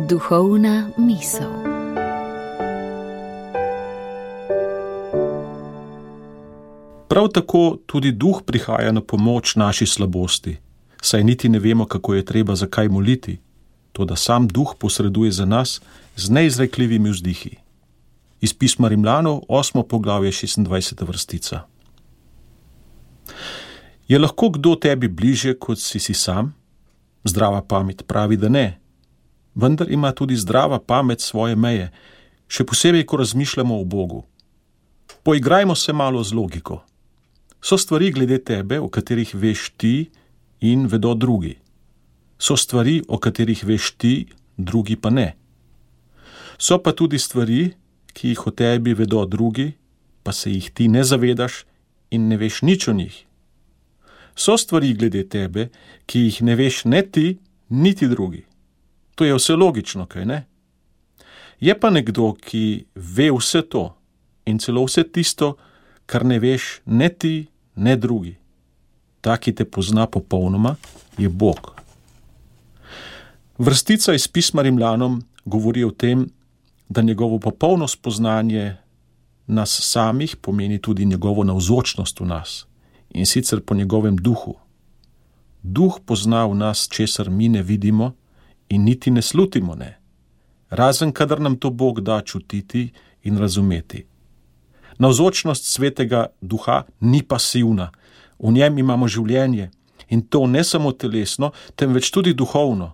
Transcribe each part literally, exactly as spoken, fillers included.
Duhovna misel. Prav tako tudi Duh prihaja na pomoč naši slabosti, saj niti ne vemo, kako je treba za kaj moliti, toda sam Duh posreduje za nas z neizrekljivimi vzdihi. Iz pisma Rimljanov, osmo poglavje, šestindvajseta vrstica. Je lahko kdo tebi bliže, kot si si sam? Zdrava pamet pravi, da ne. Vendar ima tudi zdrava pamet svoje meje, še posebej, ko razmišljamo o Bogu. Poigrajmo se malo z logiko. So stvari glede tebe, o katerih veš ti in vedo drugi. So stvari, o katerih veš ti, drugi pa ne. So pa tudi stvari, ki jih o tebi vedo drugi, pa se jih ti ne zavedaš in ne veš nič o njih. So stvari glede tebe, ki jih ne veš ne ti, niti drugi. To je vse logično, kaj ne? Je pa nekdo, ki ve vse to in celo vse tisto, kar ne veš ne ti, ne drugi. Ta, ki te pozna popolnoma, je Bog. Vrstica iz pisma Rimljanom govori o tem, da njegovo popolno spoznanje nas samih pomeni tudi njegovo navzočnost v nas, in sicer po njegovem duhu. Duh pozna v nas, česar mi ne vidimo in niti ne slutimo ne, razen kadar nam to Bog da čutiti in razumeti. Navzočnost svetega duha ni pasivna, v njem imamo življenje in to ne samo telesno, temveč tudi duhovno,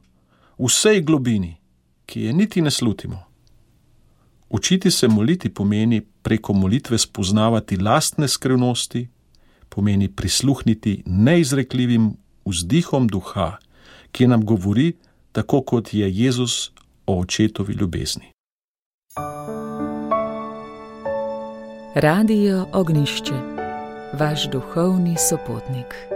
v vsej globini, ki je niti ne slutimo. Učiti se moliti pomeni preko molitve spoznavati lastne skrivnosti, pomeni prisluhniti neizrekljivim vzdihom duha, ki nam govori tako, kot je Jezus o očetovi ljubezni. Radio Ognjišče, vaš duhovni sopotnik.